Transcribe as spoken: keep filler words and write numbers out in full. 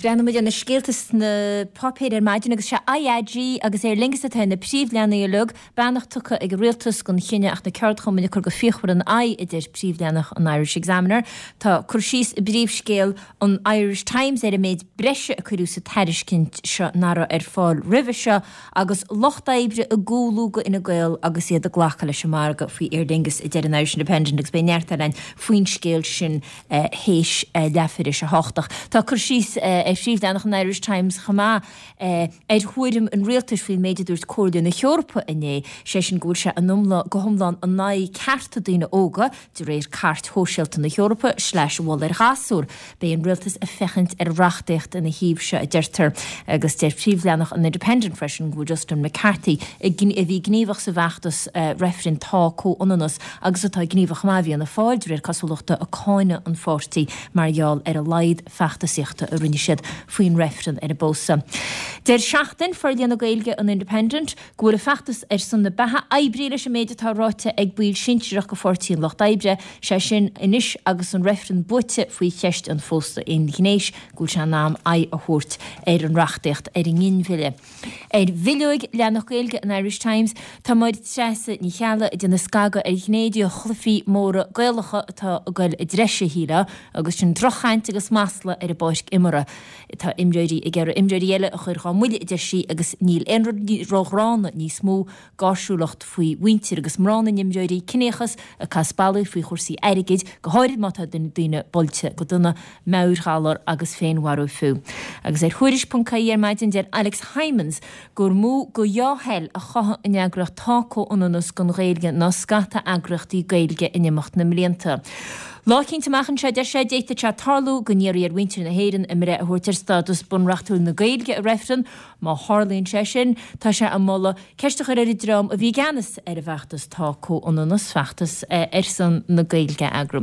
Breathnaímid ar na scéalta sna páipéir ar maidin agus sé IAG agus Aer Lingus atá ar na príomhleathanaigh uilig, beannacht tugtha ag an rialtas don chinneadh ach na ceardchumainn ag cur go fíochmhar ina aghaidh, a deir príomhleathanach an Irish Examiner. Tá cur síos i bpríomhscéal an Irish Times ar an méid breise a cuireadh sa tairiscint seo nach raibh ar fáil roimhe seo agus lucht oibre ag cúlú go Fhine Gael agus iad ag glacadh leis an margadh faoi Aer Lingus, a deir an Irish Independent agus beidh neart eile againn faoin scéal sin théis leathuair théis a hocht. Ach tá cur síos ar phríomhleathanach an Irish Times chomh maith ar thuairim an rialtais faoin méid a dúirt Comhairle na hEorpa inné, sé sin go bhfuil sé in iomlán, go hiomlán in aghaidh cearta daoine óga de réir Cairt Shóisialta na hEorpa sleais mholadh ar ghasúir. Beidh an rialtas ag féachaint ar reachtaíocht ina thaobh seo, a deirtear. Agus deir príomhleathanach an Independent freisin go bhfuil Justin McCarthy, a bhí gníomhach sa bhfeachtas reifrinn Tá Comhionannas agus atá gníomhach chomh maith i bhFianna Fáil, de réir cosúlachta, ag cáineadh an pháirtí mar gheall ar a laghad feachtasaíochta a rinne siad faoin reifreann ar an bpósadh. Deir Seachtain, forlíonadh Gaeilge an Independent, go bhfuil a feachtas ar son na beatha oibrithe leis an méid atá ráite ag baill sinsearach de Pháirtí an Lucht Oibre, sé sin anois agus an reifreann buaite faoi cheist an phósta aonghnéis, go bhfuil sé in am aghaidh a thabhairt ar an reachtaíocht ar an nginmhilleadh. Ar bhileoig leathanach Gaeilge an Irish Times, tá Máire Treasa Ní Cheallaigh ag déanamh scagadh ar ghné de chluichí móra Gaelacha atá ag goil i dtreise, shílfeá, agus sin droch-chaint agus masla ar an bpáirc imeartha. Tá imreoirí ag iarraidh imreoirí eile a chur dhá mbuille, a deir sí, agus níl aon rud róghránna níos mó, gáirsiúlacht faoi mhuintir agus mná na n-imreoirí, ciníochas, ag casadh ballaí faoi chúrsaí airgid, go háirid má tá daoine buailte go dona, meabhairghalar agus féinmharú fiú. Agus ar Thuairisc ponc ie ar maidin deir Alex Hijmans gur mó de dhea-thoil a chothaigh an eagraíocht Tá Comhionannas don Ghaeilge ná scata eagraíochtaí Gaeilge in imeacht na mblianta. Lá eicínt amach anseo, deir sé, d'fhéadfadh sé tarlú go n-iarrfaí ar mhuintir na hÉireann a mbreith a thabhairt ar stádas bunreachtúil na Gaeilge i reifreann. Má tharlaíonn sé sin, tá sé ag moladh ceist a chur ar an dream a bhí i gceannas ar an bhfeachtas Tá Comhionannas, feachtas ar son na Gaeilge a eagrú.